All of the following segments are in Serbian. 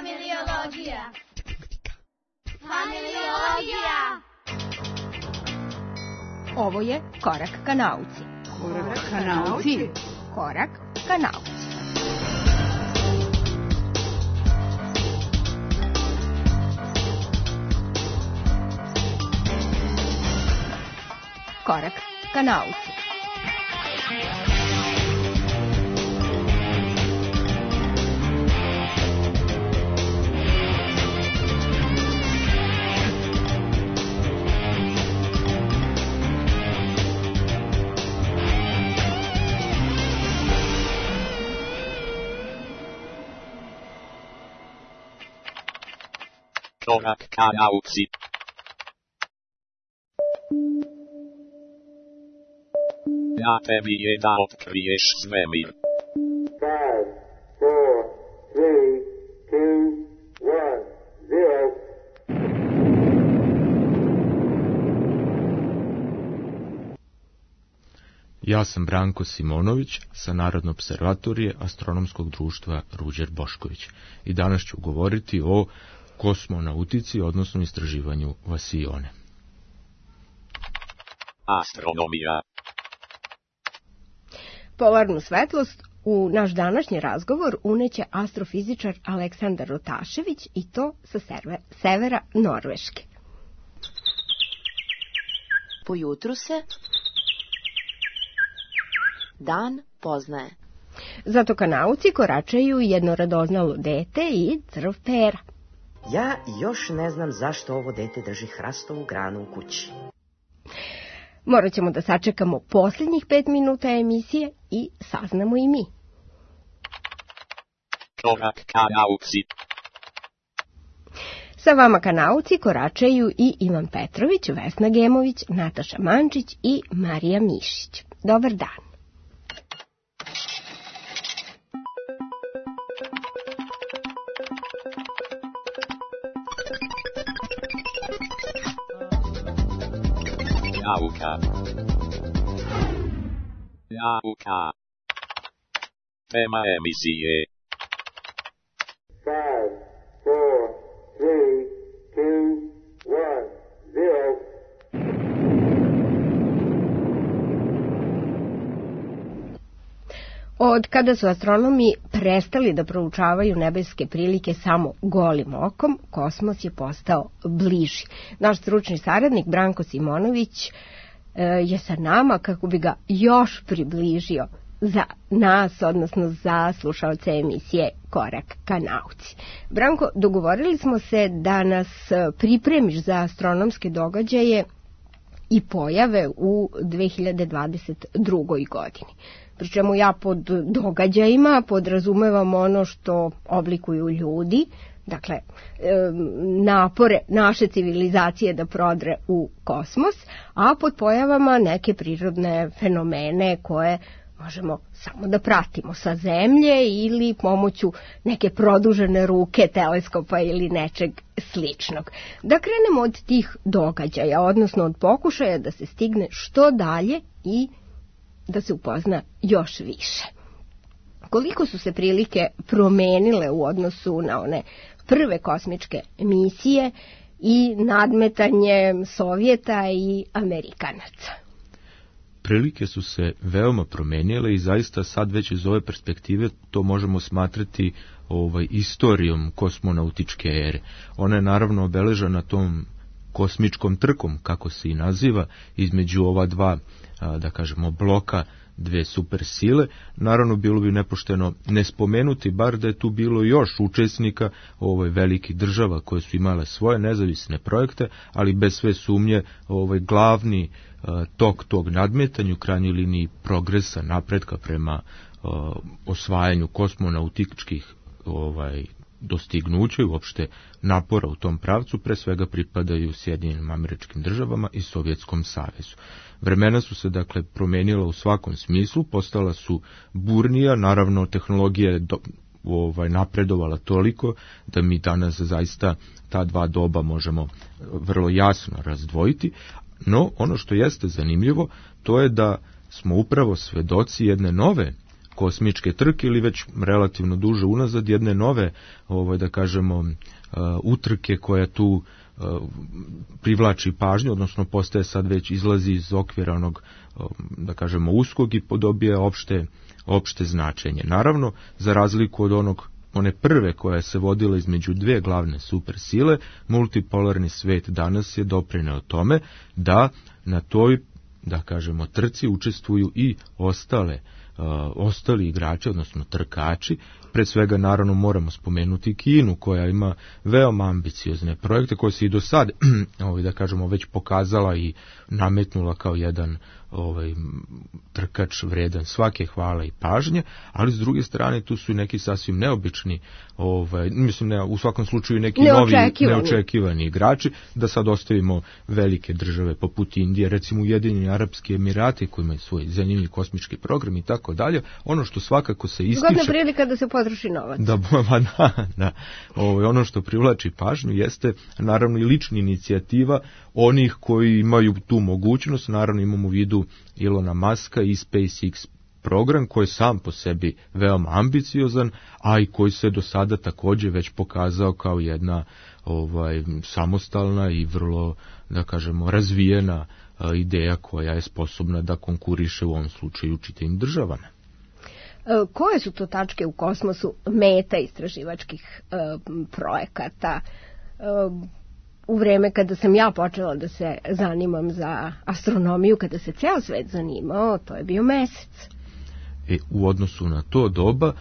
Familiologija. Familiologija. Ovo je Korak ka nauci. Korak ka nauci. Korak ka nauci. Korak ka nauci. Korak ka nauci. Ja tebi je da otkriješ svemir. 5, 4, 3, 2, 1, 0. Ja sam Branko Simonović sa Narodne observatorije Astronomskog društva Ruđer Bošković i danas ću govoriti o kosmonautici, odnosno istraživanju Vasione. Astronomija. Polarnu svetlost u naš današnji razgovor uneće astrofizičar Aleksandar Rotašević i to sa severa Norveške. Po jutru se dan poznaje. Zato ka nauci koračaju jedno radoznalo dete i crv pera. Ja još ne znam zašto ovo dete drži hrastovu granu u kući. Morat ćemo da sačekamo posljednjih 5 minuta emisije i saznamo i mi. Korak ka nauci. Sa vama ka nauci koračaju i Ivan Petrović, Vesna Gemović, Nataša Mančić i Marija Mišić. Dobar dan. Nauka. Nauka. Tema emisije. 5, 4, 3, 2, 1, 0. Od kada su astronomi prestali da proučavaju nebeske prilike samo golim okom, kosmos je postao bliži. Naš stručni saradnik Branko Simonović je sa nama kako bi ga još približio za nas, odnosno za slušaoce emisije Korak ka nauci. Branko, dogovorili smo se da nas pripremiš za astronomske događaje i pojave u 2022. godini. Pri čemu ja pod događajima podrazumevam ono što oblikuju ljudi, dakle napore naše civilizacije da prodre u kosmos, a pod pojavama neke prirodne fenomene koje možemo samo da pratimo sa Zemlje ili pomoću neke produžene ruke, teleskopa ili nečeg sličnog. Da krenemo od tih događaja, odnosno od pokušaja da se stigne što dalje i da se upozna još više. Koliko su se prilike promenile u odnosu na one prve kosmičke misije i nadmetanje Sovjeta i Amerikanaca? Prilike su se veoma promenile i zaista sad već iz ove perspektive to možemo smatrati istorijom kosmonautičke ere. Ona je naravno obeležena tom kosmičkom trkom, kako se i naziva, između ova dva, da kažemo, bloka, dve super sile. Naravno, bilo bi nepošteno ne spomenuti, bar da je tu bilo još učesnika velikih država koje su imale svoje nezavisne projekte, ali bez sve sumnje glavni tok tog nadmetanja, u krajnjoj liniji progresa, napretka prema osvajanju kosmonautičkih dostignuća i uopšte napora u tom pravcu, pre svega pripadaju Sjedinjenim Američkim Državama i Sovjetskom savezu. Vremena su se dakle promenila u svakom smislu, postala su burnija, naravno tehnologija je napredovala toliko da mi danas zaista ta dva doba možemo vrlo jasno razdvojiti, no ono što jeste zanimljivo to je da smo upravo svedoci jedne nove kosmičke trke ili već relativno duže unazad jedne nove, da kažemo, utrke koja tu privlači pažnju, odnosno postaje sad već izlazi iz okvira onog, da kažemo, uskog i podobija opšte značenje. Naravno, za razliku od one prve koja se vodila između dve glavne supersile, multipolarni svet danas je doprineo tome da na toj, da kažemo, trci učestvuju i ostali igrači, odnosno trkači. Pre svega, naravno, moramo spomenuti Kinu, koja ima veoma ambiciozne projekte koje se i do sad, da kažemo, već pokazala i nametnula kao jedan trkač vredan svake hvale i pažnje, ali s druge strane tu su i neki sasvim neobični, u svakom slučaju neki novi neočekivani igrači, da sad ostavimo velike države poput Indije, recimo Ujedinjeni Arapski Emirati koji imaju svoj zanimljiv kosmički program i tako dalje. Ono što svakako se ističe... Zgodna prilika da se potroši novac. Da. Ono što privlači pažnju jeste naravno i lična inicijativa onih koji imaju tu mogućnost. Naravno imamo u vidu Ilona Muska i SpaceX program koji je sam po sebi veoma ambiciozan, a i koji se do sada također već pokazao kao jedna samostalna i vrlo, da kažemo, razvijena ideja koja je sposobna da konkuriše u ovom slučaju čitavim državama. Koje su to tačke u kosmosu meta istraživačkih projekata? U vreme kada sam ja počela da se zanimam za astronomiju, kada se ceo svet zanimao, to je bio Mesec. U odnosu na to doba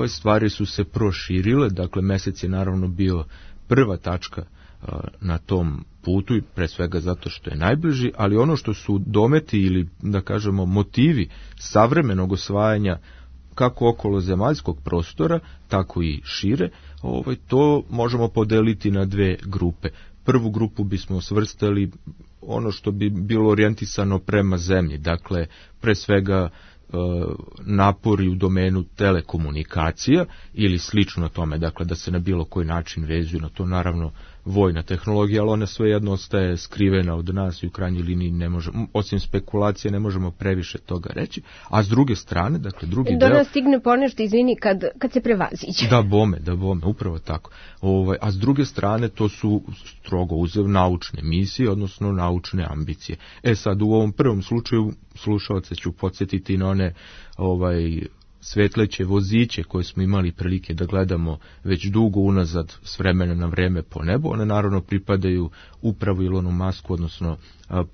stvari su se proširile, dakle Mesec je naravno bio prva tačka na tom putu i pre svega zato što je najbliži, ali ono što su dometi ili, da kažemo, motivi savremenog osvajanja kako okolo zemaljskog prostora, tako i šire, to možemo podeliti na dve grupe. Prvu grupu bismo svrstali ono što bi bilo orijentisano prema zemlji, dakle pre svega napori u domenu telekomunikacija ili slično tome, dakle da se na bilo koji način vezuju na to, naravno vojna tehnologija, ali ona svejedno ostaje skrivena od nas i u krajnjoj liniji ne možemo, osim spekulacije, ne možemo previše toga reći, a s druge strane, dakle drugi deo... Da nas stigne ponešto, izvini, kad se prevaziđe. Da bome, upravo tako. A s druge strane to su strogo uzev naučne misije, odnosno naučne ambicije. Sad u ovom prvom slučaju slušalce ću podsjetiti na one svetleće voziće koje smo imali prilike da gledamo već dugo unazad s vremena na vreme po nebu. One naravno pripadaju upravo Ilonu Musku, odnosno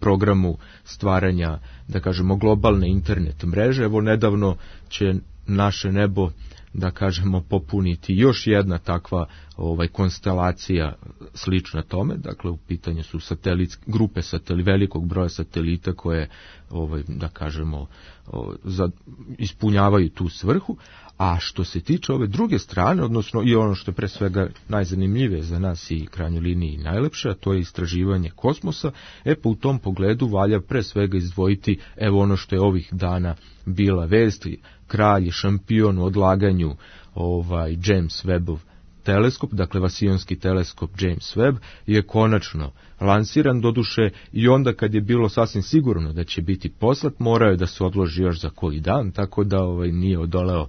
programu stvaranja, da kažemo, globalne internet mreže. Evo nedavno će naše nebo, da kažemo, popuniti još jedna takva konstelacija slična tome, dakle u pitanju su grupe velikog broja satelita koje, da kažemo, ispunjavaju tu svrhu. A što se tiče ove druge strane, odnosno i ono što je pre svega najzanimljivije za nas i krajnjoj liniji najlepše, a to je istraživanje kosmosa, pa u tom pogledu valja pre svega izdvojiti evo ono što je ovih dana bila vest, kralj je šampion u odlaganju James Webbov teleskop, dakle vasionski teleskop James Webb je konačno lansiran, doduše i onda kad je bilo sasvim sigurno da će biti poslat, morao je da se odloži još za koji dan, tako da nije odoleo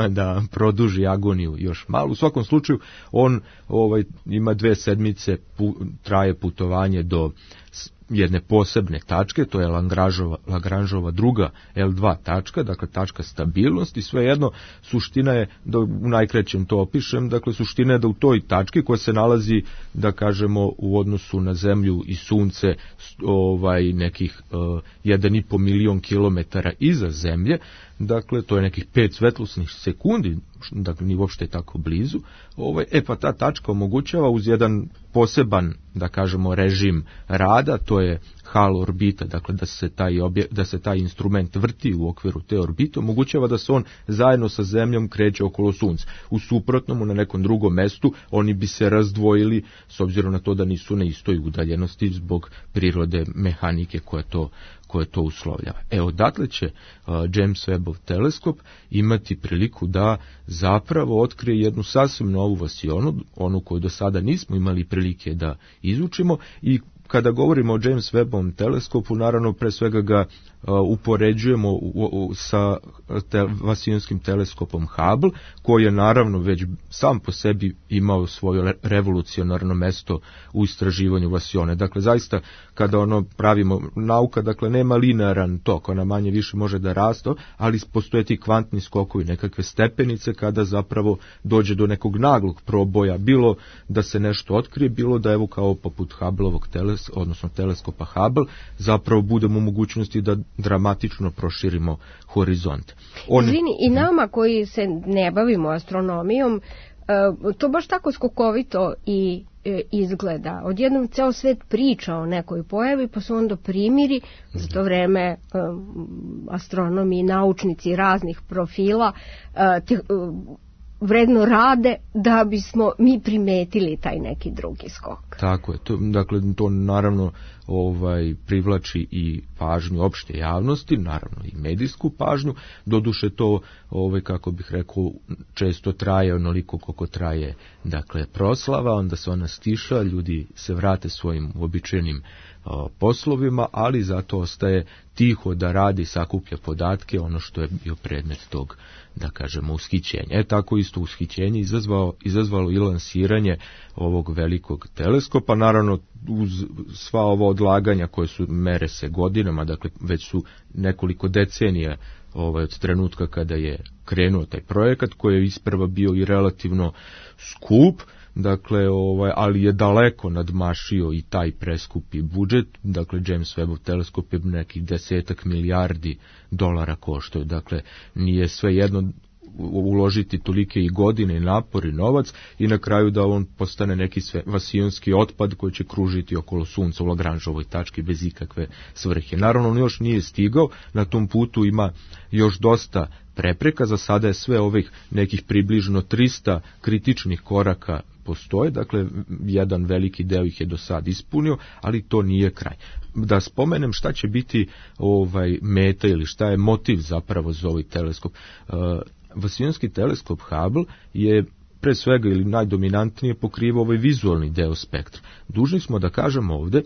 da produži agoniju još malo. U svakom slučaju on ima 2 sedmice, traje putovanje do jedne posebne tačke, to je Lagrangeova druga L2 tačka, dakle tačka stabilnosti. Svejedno, suština je, da u najkraćem to opišem, dakle suština je da u toj tački koja se nalazi, da kažemo, u odnosu na Zemlju i Sunce nekih 1,5 milion kilometara iza Zemlje, dakle to je nekih 5 svetlosnih sekundi, dakle ni uopšte tako blizu, pa ta tačka omogućava uz jedan poseban, da kažemo, režim rada, to je halo orbita, dakle da se taj instrument vrti u okviru te orbite, omogućava da se on zajedno sa Zemljom kreće okolo Sunca. U suprotnom, na nekom drugom mestu, oni bi se razdvojili s obzirom na to da nisu na istoj udaljenosti zbog prirode mehanike koje to uslovljava. Odatle će James Webbov teleskop imati priliku da zapravo otkrije jednu sasvim novu vasionu, onu koju do sada nismo imali prilike da izučimo i kada govorimo o James Webbovom teleskopu, naravno pre svega ga upoređujemo sa vasionskim teleskopom Hubble, koji je naravno već sam po sebi imao svoje revolucionarno mesto u istraživanju vasione. Dakle, zaista, kada pravimo nauka, dakle, nema linearan tok, ona manje više može da raste, ali postoje ti kvantni skokovi, nekakve stepenice, kada zapravo dođe do nekog naglog proboja, bilo da se nešto otkrije, bilo da evo kao poput Hubbleovog odnosno teleskopa Hubble, zapravo budemo u mogućnosti da dramatično proširimo horizont. Izvini, i nama koji se ne bavimo astronomijom, to baš tako skokovito i izgleda. Odjednom ceo svet priča o nekoj pojavi, pa se onda primiri, za to vreme astronomi i naučnici raznih profila vredno rade da bismo mi primetili taj neki drugi skok. Tako je, to naravno privlači i pažnju opšte javnosti, naravno i medijsku pažnju, doduše to, kako bih rekao, često traje onoliko koliko traje, dakle, proslava, onda se ona stiša, ljudi se vrate svojim uobičajenim poslovima, ali zato ostaje tiho da radi, sakuplja podatke, ono što je bio predmet tog, da kažemo, ushićenja. Tako isto ushićenje izazvalo i lansiranje ovog velikog teleskopa, naravno uz sva ova odlaganja koje su, mere se godinama, dakle već su nekoliko decenija od trenutka kada je krenuo taj projekat, koji je isprva bio i relativno skup, dakle, ali je daleko nadmašio i taj preskupi budžet. Dakle, James Webbov teleskop je nekih 10 milijardi dolara koštao. Dakle, nije sve jedno uložiti tolike i godine i napor i novac i na kraju da on postane neki vasionski otpad koji će kružiti okolo Sunca u Lagrangeovoj tački bez ikakve svrhe. Naravno, on još nije stigao, na tom putu ima još dosta prepreka, za sada je sve ovih nekih približno 300 kritičnih koraka postoje, dakle jedan veliki deo ih je do sad ispunio, ali to nije kraj. Da spomenem šta će biti meta ili šta je motiv zapravo za ovaj teleskop. Vasionski teleskop Hubble je pre svega ili najdominantnije pokriva ovaj vizualni deo spektra. Dužni smo da kažemo ovde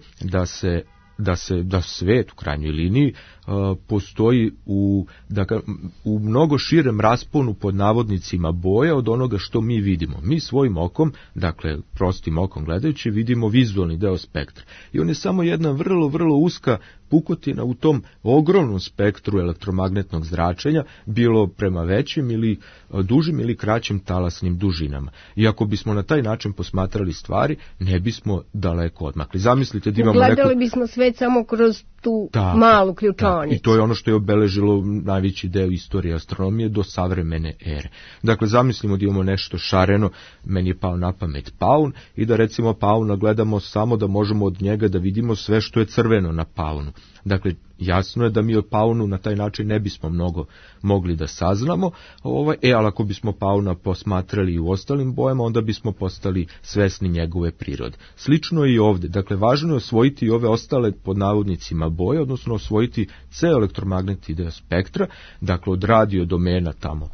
da svet u krajnjoj liniji postoji u mnogo širem rasponu pod navodnicima boja od onoga što mi vidimo. Mi svojim okom, dakle prostim okom gledajući, vidimo vizualni deo spektra. I on je samo jedna vrlo, vrlo uska pukotina u tom ogromnom spektru elektromagnetnog zračenja, bilo prema većim ili dužim ili kraćim talasnim dužinama. I ako bismo na taj način posmatrali stvari, ne bismo daleko odmakli. Zamislite da imamo gledali bismo svet samo kroz tu malu ključonicu. I to je ono što je obeležilo najveći deo istorije astronomije do savremene ere. Dakle, zamislimo da imamo nešto šareno, meni je pao na pamet paun, i da recimo pauna gledamo samo da možemo od njega da vidimo sve što je crveno na paunu. Dakle, jasno je da mi o paunu na taj način ne bismo mnogo mogli da saznamo, ali ako bismo pauna posmatrali i u ostalim bojama, onda bismo postali svesni njegove prirode. Slično je i ovde. Dakle, važno je osvojiti i ove ostale pod navodnicima boje, odnosno osvojiti ceo elektromagnetni deo spektra, dakle od radio domena tamo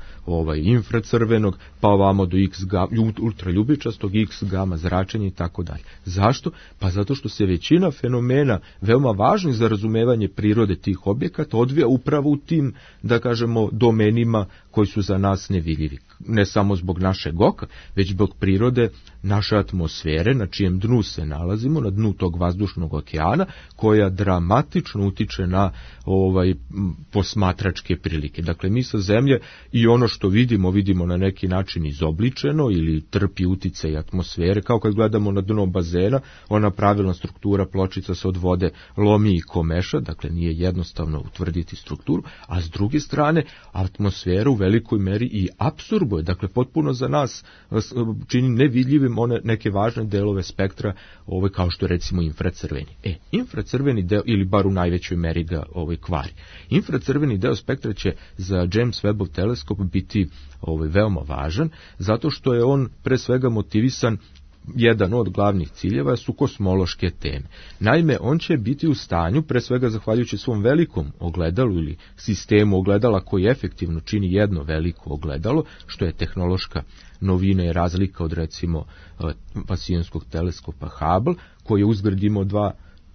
infracrvenog, pa ovamo do ultraljubičastog, X gama zračenja i tako dalje. Zašto? Pa zato što se većina fenomena veoma važnih za razumevanje prirode tih objekata odvija upravo u tim, da kažemo, domenima koji su za nas nevidljivi. Ne samo zbog našeg oka, već zbog prirode naše atmosfere, na čijem dnu se nalazimo, na dnu tog vazdušnog okeana, koja dramatično utiče na posmatračke prilike. Dakle, mi sa Zemlje i ono što vidimo na neki način izobličeno ili trpi uticaj atmosfere, kao kad gledamo na dno bazena, ona pravilna struktura pločica se od vode lomi i komeša, dakle nije jednostavno utvrditi strukturu, a s druge strane atmosfera u velikoj meri i apsorbuje, dakle potpuno za nas čini nevidljivim one neke važne delove spektra, kao što je recimo infracrveni. Infracrveni deo, ili bar u najvećoj meri ga kvari. Infracrveni deo spektra će za James Webbov teleskop biti veoma važan, zato što je on pre svega motivisan, jedan od glavnih ciljeva su kosmološke teme. Naime, on će biti u stanju, pre svega zahvaljujući svom velikom ogledalu ili sistemu ogledala koji efektivno čini jedno veliko ogledalo, što je tehnološka novina i razlika od recimo vasionskog teleskopa Hubble, koji je uzgred imao dva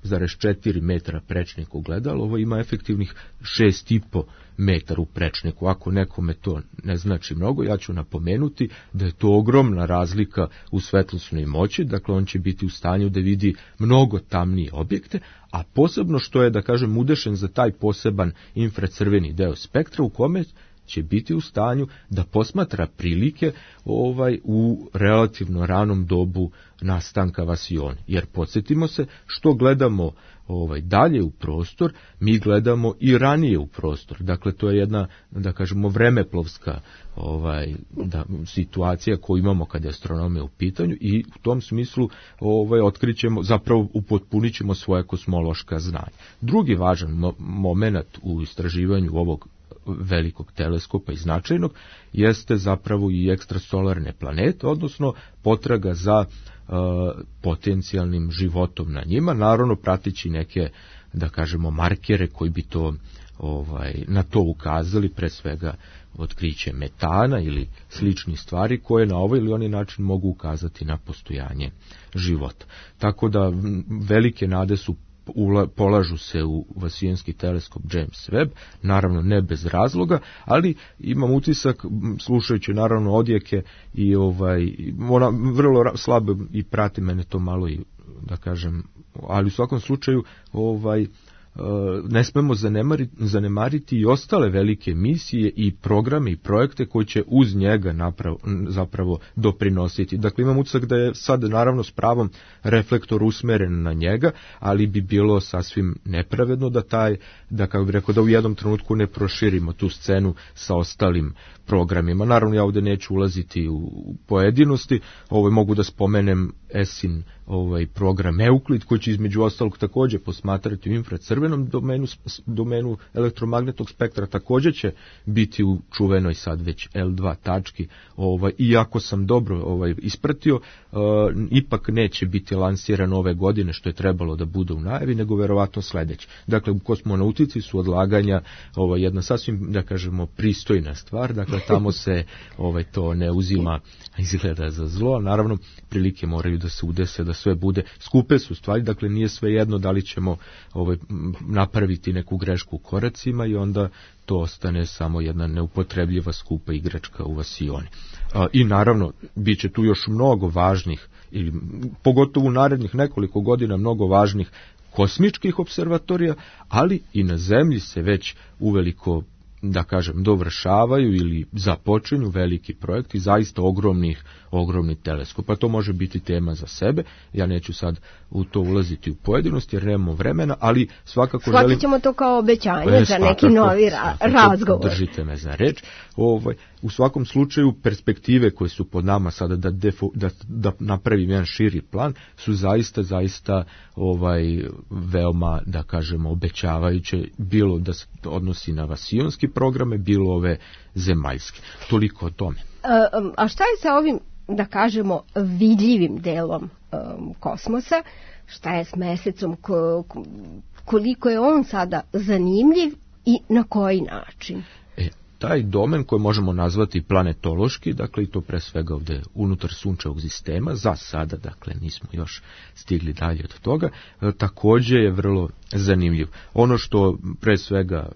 3,4 metra prečnik ogledalo, ovo ima efektivnih 6,5 metar u prečniku. Ako nekome to ne znači mnogo, ja ću napomenuti da je to ogromna razlika u svetlosnoj moći, dakle on će biti u stanju da vidi mnogo tamnije objekte, a posebno što je, da kažem, udešen za taj poseban infracrveni deo spektra u kome će biti u stanju da posmatra prilike u relativno ranom dobu nastanka vasione. Jer podsjetimo se, što gledamo dalje u prostor, mi gledamo i ranije u prostor. Dakle, to je jedna, da kažemo, vremeplovska situacija koju imamo kada je astronomija u pitanju i u tom smislu otkrićemo, zapravo upotpunit ćemo svoje kosmološka znanja. Drugi važan moment u istraživanju ovog velikog teleskopa i značajnog jeste zapravo i ekstrasolarne planete, odnosno potraga za potencijalnim životom na njima, naravno pratići neke, da kažemo, markere koji bi to na to ukazali, pre svega otkriće metana ili sličnih stvari koje na ovaj ili onaj način mogu ukazati na postojanje života. Tako da velike nade su polažu se u vasijonski teleskop James Webb, naravno ne bez razloga, ali imam utisak, slušajući naravno odjeke i ona vrlo slabo i prati mene to malo i, da kažem, ali u svakom slučaju ne smemo zanemariti i ostale velike misije i programe i projekte koji će uz njega zapravo doprinositi. Dakle, imam utisak da je sad naravno s pravom reflektor usmeren na njega, ali bi bilo sasvim nepravedno da kako bih rekao, da u jednom trenutku ne proširimo tu scenu sa ostalim programima. Naravno, ja ovdje neću ulaziti u pojedinosti, mogu da spomenem ESIN program Euclid, koji će između ostalog također posmatrati u infracrvenom domenu elektromagnetnog spektra, također će biti u čuvenoj sad već L2 tački, iako sam dobro ispratio, ipak neće biti lansiran ove godine, što je trebalo da bude u najavi, nego verovatno sledeće. Dakle, u kosmonautici su odlaganja jedna sasvim, da kažemo, pristojna stvar, dakle, tamo se to ne uzima, izgleda za zlo, naravno, prilike moraju da se udese, da sve bude, skupe su stvari, dakle nije sve jedno da li ćemo napraviti neku grešku u koracima i onda to ostane samo jedna neupotrebljiva skupa igračka u vasioni. I naravno, bit će tu još mnogo važnih, ili pogotovo u narednih nekoliko godina mnogo važnih kosmičkih observatorija, ali i na Zemlji se već uveliko, da kažem, dovršavaju ili započinju veliki projekti, zaista ogromni teleskopa. To može biti tema za sebe, ja neću sad u to ulaziti u pojedinosti jer nemamo vremena, ali svakako shvatit ćemo to kao obećanje za neki novi razgovor. Držite me za reč. U svakom slučaju perspektive koje su pod nama sada da napravim jedan širi plan su zaista veoma, da kažemo, obećavajuće, bilo da se odnosi na vasijonski programe, bilo ove zemaljske. Toliko o tome. A šta je sa ovim, da kažemo, vidljivim delom kosmosa? Šta je s mesecom? Koliko je on sada zanimljiv i na koji način? Taj domen koji možemo nazvati planetološki, dakle i to pre svega ovdje unutar sunčevog sistema, za sada, dakle nismo još stigli dalje od toga, također je vrlo zanimljiv. Ono što pre svega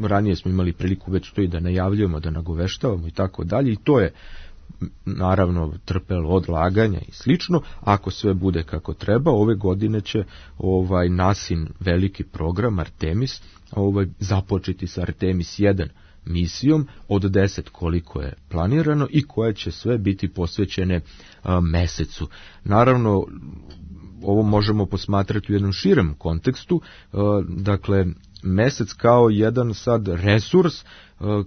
ranije smo imali priliku već to i da najavljujemo, da nagoveštavamo i tako dalje, i to je naravno trpelo odlaganja i slično. Ako sve bude kako treba, ove godine će NASIN veliki program Artemis započeti sa Artemis 1 misijom od 10 koliko je planirano i koje će sve biti posvećene mesecu. Naravno, ovo možemo posmatrati u jednom širem kontekstu, dakle mesec kao jedan sad resurs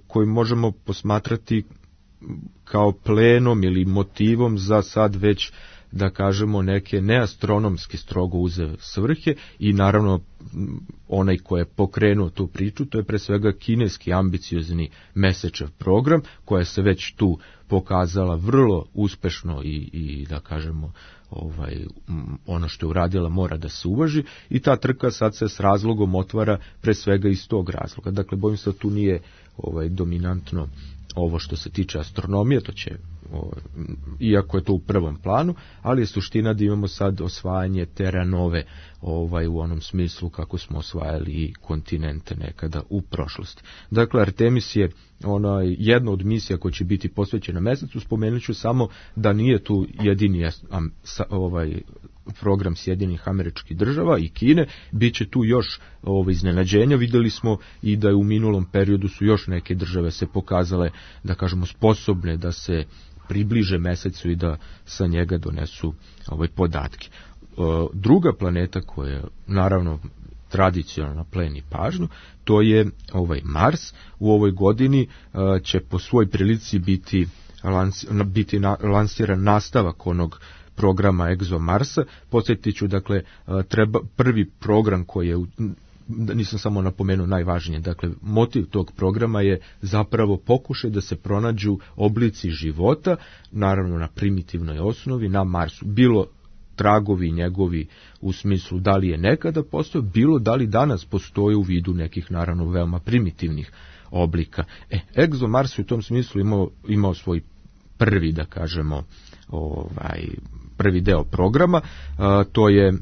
koji možemo posmatrati kao plenom ili motivom za sad već, da kažemo, neke neastronomski strogo uze svrhe i naravno onaj ko je pokrenuo tu priču, to je pre svega kineski ambiciozni mesečev program, koja se već tu pokazala vrlo uspešno i da kažemo ono što je uradila mora da se uvaži i ta trka sad se s razlogom otvara pre svega iz tog razloga. Dakle, bojim se da tu nije dominantno ovo što se tiče astronomije, to će, iako je to u prvom planu, ali je suština da imamo sad osvajanje Terra Nove, u onom smislu kako smo osvajali i kontinente nekada u prošlosti. Dakle, Artemis je jedna od misija koja će biti posvećena mesecu. Spomenut ću samo da nije tu jedini program Sjedinjenih Američkih Država i Kine, bit će tu još iznenađenja. Videli smo i da je u minulom periodu su još neke države se pokazale, da kažemo, sposobne da se približe mesecu i da sa njega donesu podatke. Druga planeta koja naravno tradicionalno pleni pažnju, to je Mars. U ovoj godini će po svoj prilici biti lansiran nastavak onog programa ExoMarsa. Podsjetit ću, dakle, prvi program koji je, nisam samo napomenuo najvažnije, dakle, motiv tog programa je zapravo pokušaj da se pronađu oblici života, naravno na primitivnoj osnovi, na Marsu. Bilo tragovi njegovi u smislu da li je nekada postojao, bilo da li danas postoji u vidu nekih, naravno, veoma primitivnih oblika. ExoMars u tom smislu imao svoj prvi, da kažemo, prvi deo programa. To je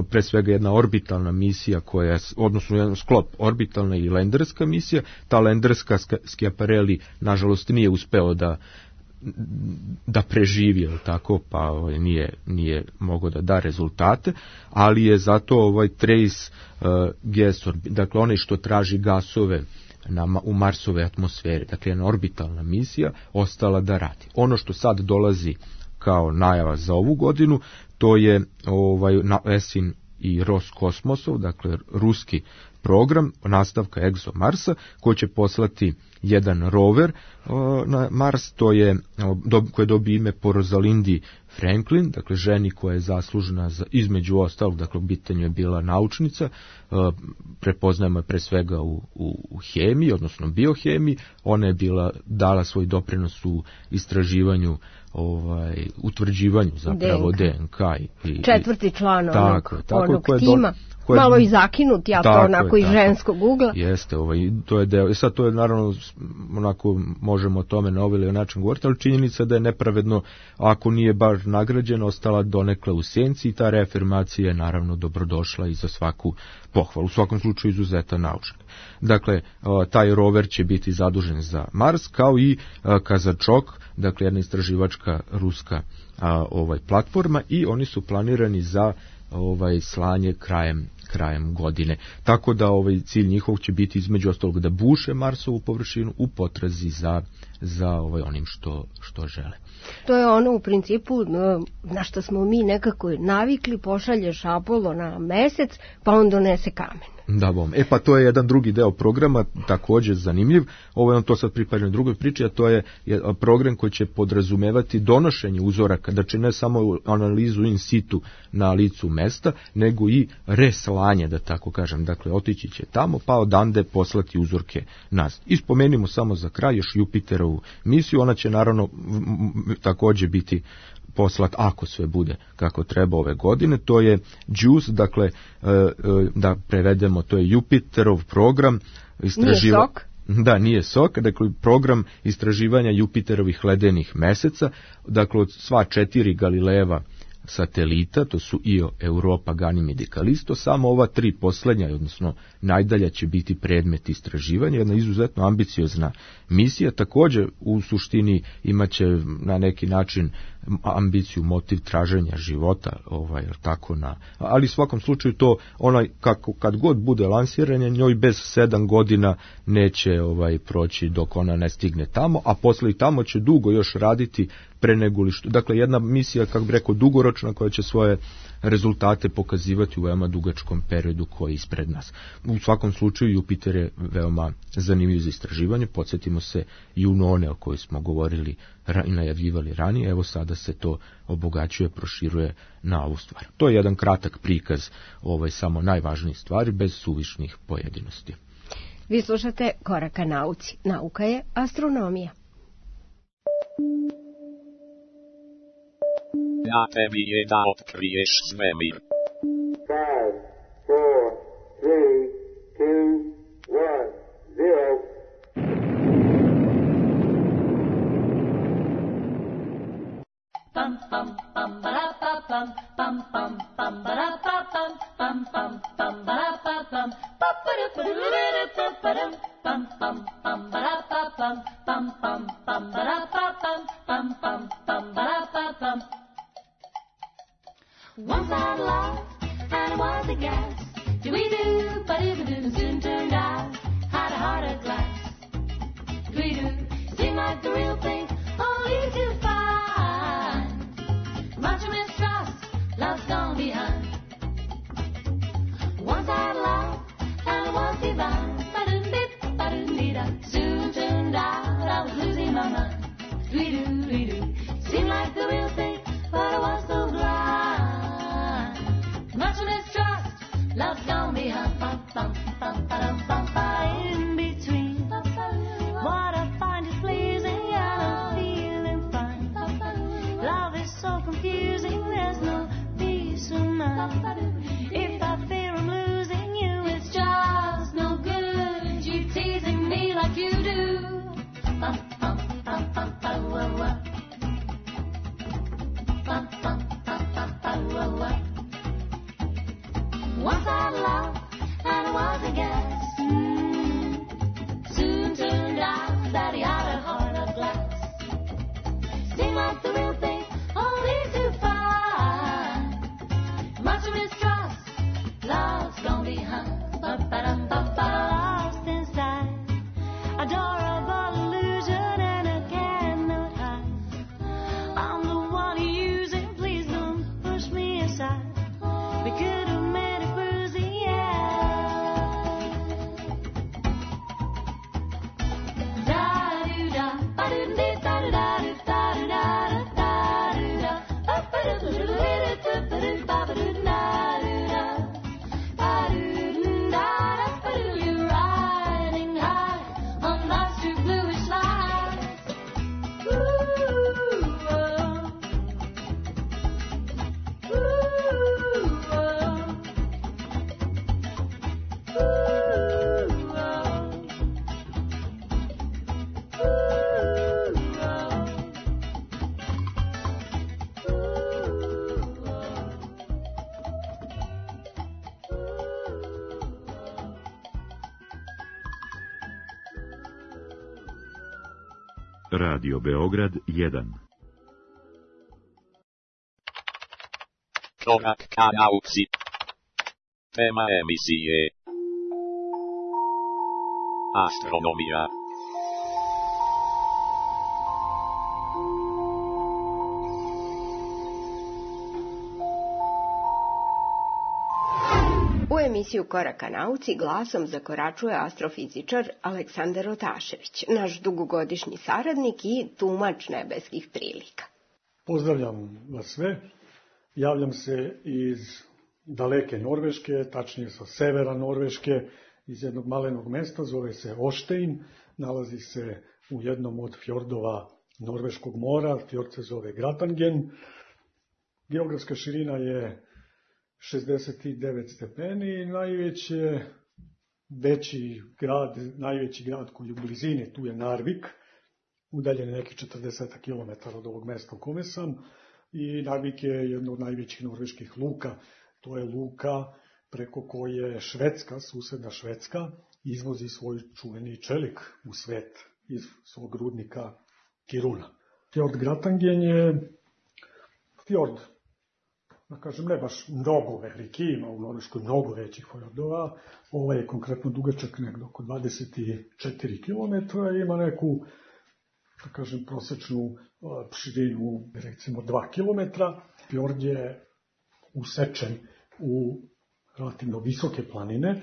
pre svega jedna orbitalna misija koja, odnosno jedan sklop, orbitalna i lenderska misija. Ta lenderska Schiaparelli nažalost nije uspeo da preživi, tako, pa nije mogao da da rezultate, ali je zato Trace Gas, dakle onaj što traži gasove u Marsove atmosfere, dakle jedna orbitalna misija, ostala da radi. Ono što sad dolazi kao najava za ovu godinu, to je ESIN i Roskosmosov, dakle ruski program nastavka ExoMarsa, koji će poslati jedan rover na Mars, koje dobije ime po Rosalindi Franklin, dakle ženi koja je zaslužena za, između ostalog, dakle u pitanju je bila naučnica, prepoznajemo je pre svega u hemiji, odnosno biohemiji. Ona je dala svoj doprinos u istraživanju, utvrđivanju zapravo DNK. Četvrti član onog tima. Malo i zakinut, ja to onako iz ženskog ugla. Jeste, to je deo. Sad to je naravno, onako možemo o tome na ovaj način govoriti, ali činjenica da je nepravedno, ako nije baš nagrađena, ostala donekle u senci, i ta reafirmacija je naravno dobrodošla i za svaku pohvalu. U svakom slučaju izuzetan naučnik. Dakle, taj rover će biti zadužen za Mars, kao i Kazačok, dakle jedna istraživačka ruska platforma, i oni su planirani za slanje krajem godine. Tako da cilj njihov će biti između ostalog da buše Marsovu površinu u potrazi za onim što žele. To je ono u principu na što smo mi nekako navikli, pošalješ Apollo na mesec, pa on donese kamen. Da, pa to je jedan drugi deo programa, također zanimljiv. On to sad pripada drugoj priči, a to je program koji će podrazumevati donošenje uzoraka, znači ne samo analizu in situ na licu mesta, nego i reslanje, da tako kažem. Dakle, otići će tamo, pa odande poslati uzorke nas. I spomenimo samo za kraj još Jupiterovu misiju, ona će naravno također biti poslat, ako sve bude kako treba ove godine. To je JUICE, dakle, da prevedemo, to je Jupiterov program Nije SOK? Da, nije SOK, dakle program istraživanja Jupiterovih ledenih meseca, dakle od sva 4 Galilejeva satelita, to su Io, Europa, Ganymede i Callisto, samo ova 3 posljednja, odnosno najdalja, će biti predmet istraživanja, jedna izuzetno ambiciozna misija. Također u suštini imaće na neki način ambiciju, motiv traženja života, ali u svakom slučaju to kad god bude lansiranje, njoj bez 7 godina neće proći dok ona ne stigne tamo, a posle i tamo će dugo još raditi pre nego li što. Dakle, jedna misija, kako bi rekao, dugoročna, koja će svoje rezultate pokazivati u veoma dugačkom periodu koji je ispred nas. U svakom slučaju Jupiter je veoma zanimljiv za istraživanje. Podsjetimo se Junone o kojoj smo govorili i najavljivali ranije. Evo sada se to obogaćuje, proširuje na ovu stvar. To je jedan kratak prikaz samo najvažnijih stvari bez suvišnih pojedinosti. Vi slušate Korak ka nauci. Nauka je astronomija. Na tebi je da otkriješ svemir. 5, 4, 3, 2, 1, 0. Once I loved and it was a gas. Do-we-do, ba-do-ba-do, soon turned out had a heart of glass. Do-we-do, seemed like the real thing, only to find much mistrust, love's gone behind. Once I loved and it was divine. Ba-dum-dip, ba-dum-dee-da, soon turned out I was losing my mind. Do-we-do, do-we-do, seemed like the real thing, but I was so blind. Much mistrust, love's gone behind. Bum, bum, bum, ba-dum, bum, ba. In between, what I find is pleasing and I'm feeling fine. Love is so confusing, there's no peace of mind. If I fear I'm losing you, it's just no good. You teasing me like you do. Bum, bum, bum, bum, ba-da-wah-wah. Bum, bum, bum, bum, ba-da-wah-wah. Once I loved and it was a gas. Soon turned out that he had a heart of glass. Seemed like the real thing, only to find much mistrust, love's gone behind. Ba-ba-dum-ba-ba. Lost inside, adorable illusion and I cannot hide. I'm the one you're using, please don't push me aside. We could have made it cruising, yeah. Da-do-da, ba-do-dee, da-do-da-do-da-do-da-do-da-do-da, ba-ba-do-do-do-do-do-do-do, ba-ba-do-da-do-da, ba-do-da-da, ba-do. You're riding high on life's true bluish lights. Ooh, oh. Radio Beograd 1. Korak ka nauci. Tema emisije Astronomija. U emisiju Koraka nauci glasom zakoračuje astrofizičar Aleksandar Otašević, naš dugogodišnji saradnik i tumač nebeskih prilika. Pozdravljam vas sve. Javljam se iz daleke Norveške, tačnije sa severa Norveške, iz jednog malenog mesta, zove se Oštein, nalazi se u jednom od fjordova Norveškog mora, fjord se zove Gratangen. Geografska širina je 69 stepeni i najveći grad koji je u blizini, tu je Narvik, udaljen nekih 40 km od ovog mesta u kome sam, i Narvik je jedno od najvećih norveških luka. To je luka preko koje Švedska, susedna Švedska, izvozi svoj čuveni čelik u svet iz svog rudnika Kiruna. Fjord Gratangen je fjord, da kažem, ne baš mnogo veliki, ima u Norveškoj mnogo većih fjordova. Ovaj je konkretno dugačak negdje oko 24 km i ima neku, da kažem, prosečnu širinu, recimo 2 km. Fjord je usečen u relativno visoke planine,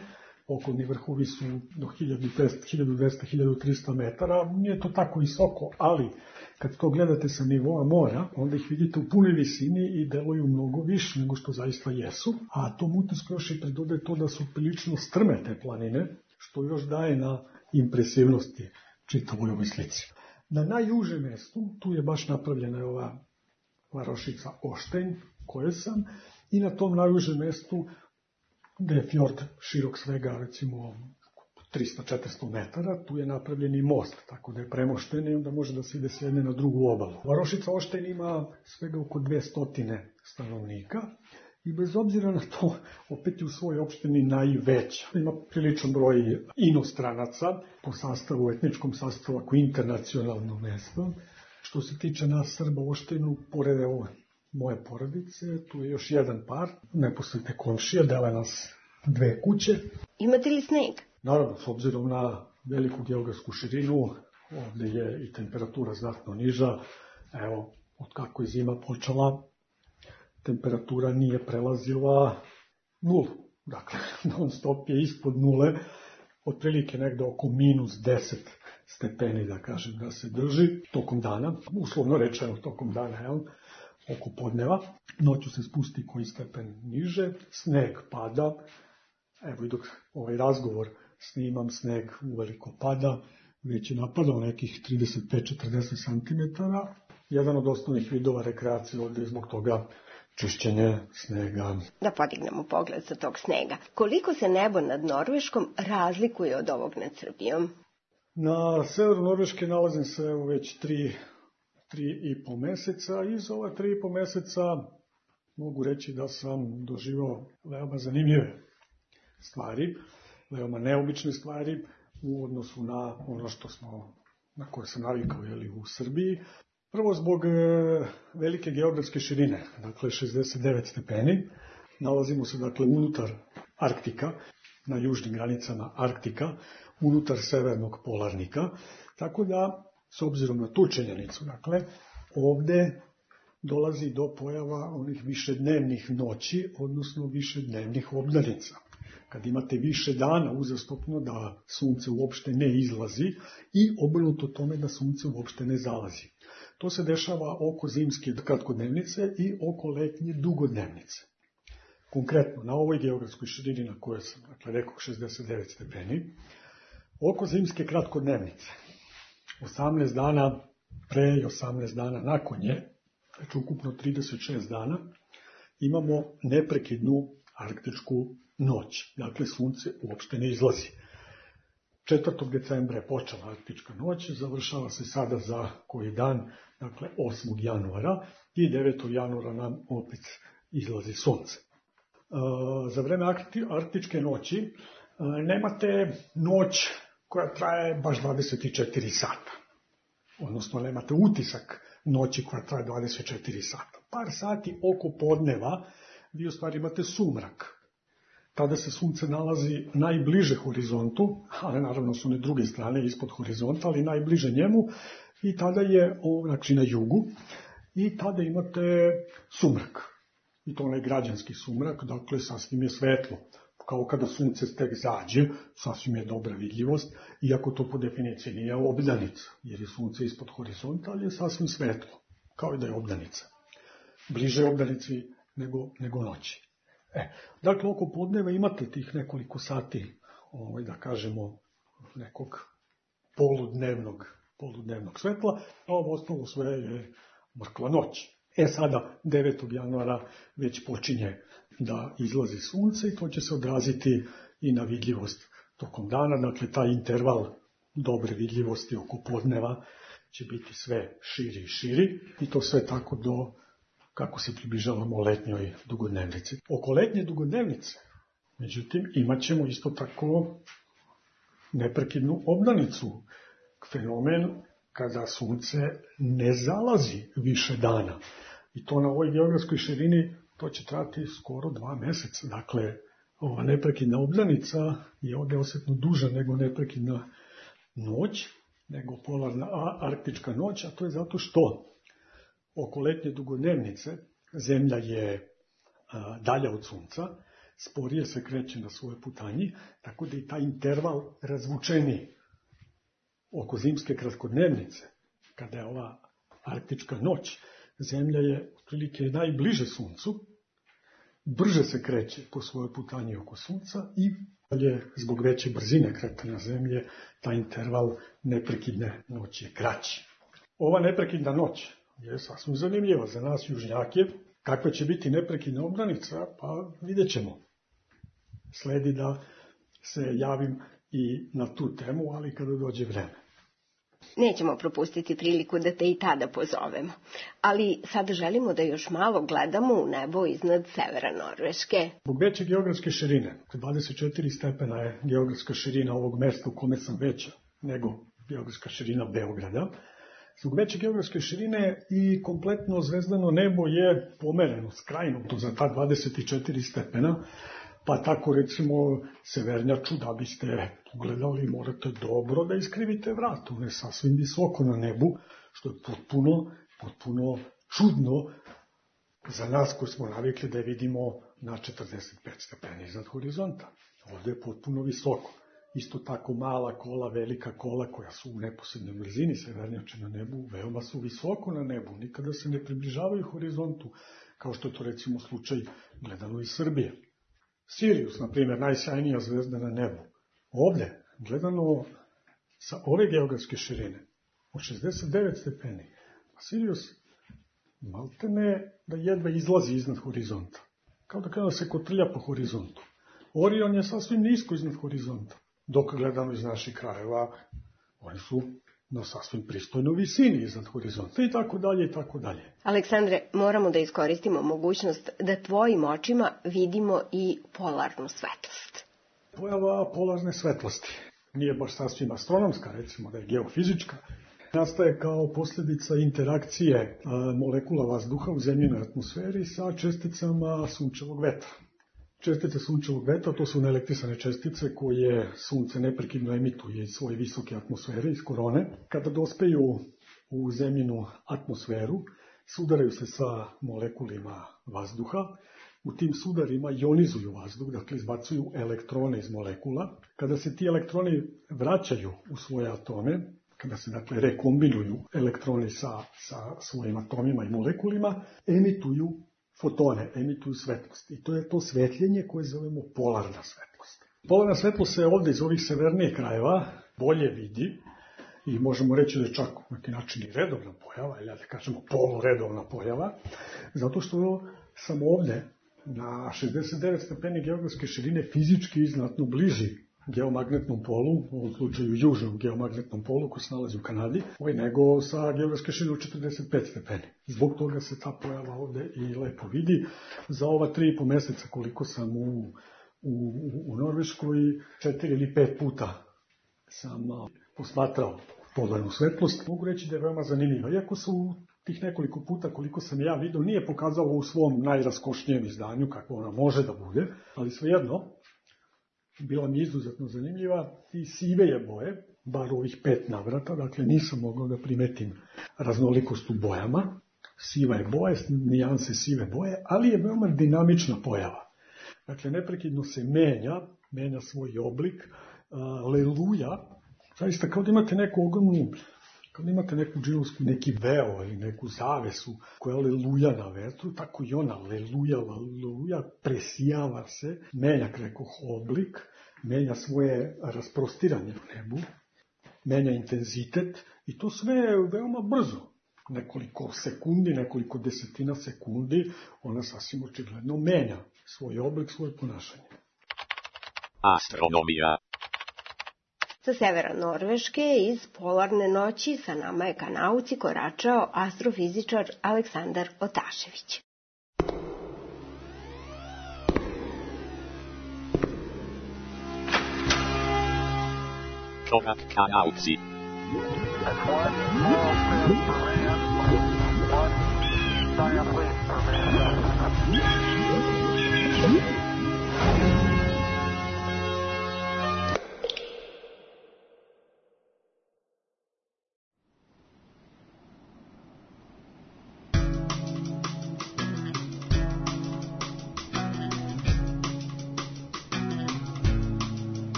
okolni vrhovi su do 1200-1300 metara, nije to tako visoko, ali kad to gledate sa nivoa mora, onda ih vidite u punoj visini i deluju mnogo više nego što zaista jesu, a tom utisku još i pridode to da su prilično strme te planine, što još daje na impresivnosti čitavoj ovoj slici. Na najužem mestu, tu je baš napravljena ova varošica Oštein, koje sam, i na tom najužem mestu, gde je fjord širok svega, recimo 300-400 metara, tu je napravljeni most, tako da je premošten i onda može da se ide s jedne na drugu obalu. Varošica Ošten ima svega oko 200 stanovnika i bez obzira na to, opet je u svojoj opštini najveća. Ima priličan broj inostranaca po sastavu, etničkom sastavu, ako internacionalno mesto. Što se tiče nas Srba u Oštenu, pored moje porodice, tu je još jedan par, neposredne komšije, dele nas 2 kuće. Imate li sneg? Naravno, s obzirom na veliku geografsku širinu, ovde je i temperatura znatno niža. Evo, od kako je zima počela, temperatura nije prelazila 0. Dakle, non stop je ispod 0, otprilike negde oko -10 stepeni, da kažem, da se drži tokom dana, uslovno rečeno tokom dana, jel? Oko podneva. Noću se spusti koji stepen niže, sneg pada. Evo i dok ovaj razgovor snimam, sneg uveliko pada, već je napadao nekih 35-40 cm. Jedan od osnovnih vidova rekreacije ovde je zbog toga čišćenje snega. Da podignemo pogled sa tog snega. Koliko se nebo nad Norveškom razlikuje od ovog nad Srbijom? Na severu Norveške nalazim se već 3,5 meseca i za ova 3,5 meseca mogu reći da sam doživao veoma zanimljive stvari, veoma neobične stvari u odnosu na ono na koje sam navikao u Srbiji. Prvo zbog velike geografske širine, dakle 69 stepeni. Nalazimo se dakle unutar Arktika, na južnim granicama Arktika, unutar severnog polarnika, tako da s obzirom na tu činjenicu, dakle, ovde dolazi do pojava onih višednevnih noći, odnosno višednevnih obdanica. Kad imate više dana uzastopno da sunce uopšte ne izlazi i obrnuto tome da sunce uopšte ne zalazi. To se dešava oko zimske kratkodnevnice i oko letnje dugodnevnice. Konkretno, na ovoj geografskoj širini na kojoj sam, dakle, rekao 69 stepeni, oko zimske kratkodnevnice, 18 dana pre i 18 dana nakon nje, znači ukupno 36 dana, imamo neprekidnu arktičku noć. Dakle, sunce uopšte ne izlazi. 4. decembra je počela arktička noć, završava se sada za koji dan, dakle 8. januara i 9. januara nam opet izlazi sunce. Za vreme arktičke noći nemate noć koja traje baš 24 sata. Odnosno, nemate utisak noći koja traje 24 sata. Par sati oko podneva vi u stvari imate sumrak. Tada se sunce nalazi najbliže horizontu, ali naravno su one druge strane ispod horizonta, ali najbliže njemu, i tada je, znači na jugu, i tada imate sumrak. I to onaj građanski sumrak, dakle sasvim je svetlo. Kao kada sunce tek zađe, sasvim je dobra vidljivost, iako to po definiciji nije obdanica, jer je sunce ispod horizonta, ali je sasvim svetlo, kao i da je obdanica. Bliže je obdanici nego noći. Dakle, oko podneva imate tih nekoliko sati, da kažemo, nekog poludnevnog svetla, a ovo ostalo sve je mrkla noć. Sada, 9. januara već počinje da izlazi sunce i to će se odraziti i na vidljivost tokom dana. Dakle, taj interval dobre vidljivosti oko podneva će biti sve širi i širi i to sve tako do kako se približavamo letnjoj dugodnevnici. Oko letnje dugodnevnice, međutim, imat ćemo isto tako neprekidnu obdanicu, fenomen kada sunce ne zalazi više dana. I to na ovoj geografskoj širini to će trati skoro 2 meseca. Dakle, ova neprekidna obdanica je ovde osetno duža nego neprekidna noć, nego polarna arktička noć, a to je zato što oko letnje dugodnevnice zemlja je dalja od sunca, sporije se kreće na svoje putanji, tako da i taj interval razvučeniji. Oko zimske kratkodnevnice, kada je ova arktička noć, zemlja je otprilike najbliže suncu, brže se kreće po svojoj putanji oko sunca i zbog veće brzine kretanja zemlje, taj interval neprekidne noći je kraći. Ova neprekidna noć je sasvim zanimljiva za nas južnjake. Kakva će biti neprekidna obdanica, pa vidjet ćemo. Sledi da se javim i na tu temu, ali kada dođe vreme. Nećemo propustiti priliku da te i tada pozovemo. Ali sada želimo da još malo gledamo u nebo iznad severa Norveške. Zbog veće geografske širine, 24 stepena je geografska širina ovog mesta u kome sam veća nego geografska širina Beograda. Zbog veće geografske širine i kompletno zvezdano nebo je pomereno, skrajnuto za ta 24 stepena, pa tako recimo severnjaču da biste pogledali morate dobro da iskrivite vrat, on je sasvim visoko na nebu, što je potpuno čudno za nas koji smo navikli da je vidimo na 45 stepeni iznad horizonta. Ovde je potpuno visoko. Isto tako mala kola, velika kola koja su u neposrednoj blizini severnjače na nebu, veoma su visoko na nebu, nikada se ne približavaju horizontu, kao što je to recimo slučaj gledano iz Srbije. Sirius, na primjer, najsjajnija zvezda na nebu. Ovde, gledano sa ove geografske širine, od 69 stepeni, Sirius maltene da jedva izlazi iznad horizonta. Kao da kada se kotrlja po horizontu. Orion je sasvim nisko iznad horizonta. Dok gledano iz naših krajeva, oni su na sasvim pristojnoj visini iznad horizonta i tako dalje i tako dalje. Aleksandre, moramo da iskoristimo mogućnost da tvojim očima vidimo i polarnu svetlost. Pojava polarne svetlosti nije baš sasvim astronomska, recimo da je geofizička. Nastaje kao posljedica interakcije molekula vazduha u zemljinoj atmosferi sa česticama sunčevog vetra. Čestice sunčevog vetra, to su neelektrisane čestice koje sunce neprekidno emituje iz svoje visoke atmosfere, iz korone. Kada dospeju u zemljinu atmosferu, sudaraju se sa molekulima vazduha. U tim sudarima ionizuju vazduh, dakle izbacuju elektrone iz molekula. Kada se ti elektroni vraćaju u svoje atome, kada se dakle rekombinuju elektroni sa svojim atomima i molekulima, emituju fotone, emituju svetlost. I to je to svetljenje koje zovemo polarna svetlost. Polarna svetlost se ovde iz ovih severnijih krajeva bolje vidi i možemo reći da je čak na neki način i redovna pojava, ili da kažemo poluredovna pojava, zato što sam ovde na 69 stepeni geografske širine fizički znatno bliži geomagnetnom polu, u ovom slučaju južnom geomagnetnom polu koji se nalazi u Kanadi, nego sa geografske širine od 45 stepeni. Zbog toga se ta pojava ovde i lepo vidi. Za ova 3,5 meseca koliko sam u Norveškoj, 4 ili 5 puta sam posmatrao polarnu svetlost. Mogu reći da je veoma zanimljiva. Iako su tih nekoliko puta koliko sam ja vidio nije pokazalo u svom najraskošnijem izdanju kako ona može da bude, ali svejedno bila mi izuzetno zanimljiva i sive je boje, bar ovih 5 navrata, dakle nisam mogao da primetim raznolikost u bojama, siva je boja, nijanse sive boje, ali je veoma dinamična pojava. Dakle, neprekidno se menja svoj oblik, leluja, zaista kao da imate neku ogromnu, kao da imate neku džinovsku, neki veo ili neku zavesu koja leluja na vetru, tako i ona leluja, presijava se, menja rekoh oblik, menja svoje rasprostiranje u nebu, menja intenzitet i to sve je veoma brzo. Nekoliko sekundi, nekoliko desetina sekundi, ona sasvim očigledno menja svoj oblik, svoje ponašanje. Astronomija. Sa severa Norveške iz polarne noći sa nama je ka nauci koračao astrofizičar Aleksandar Otašević. Korak ka nauci.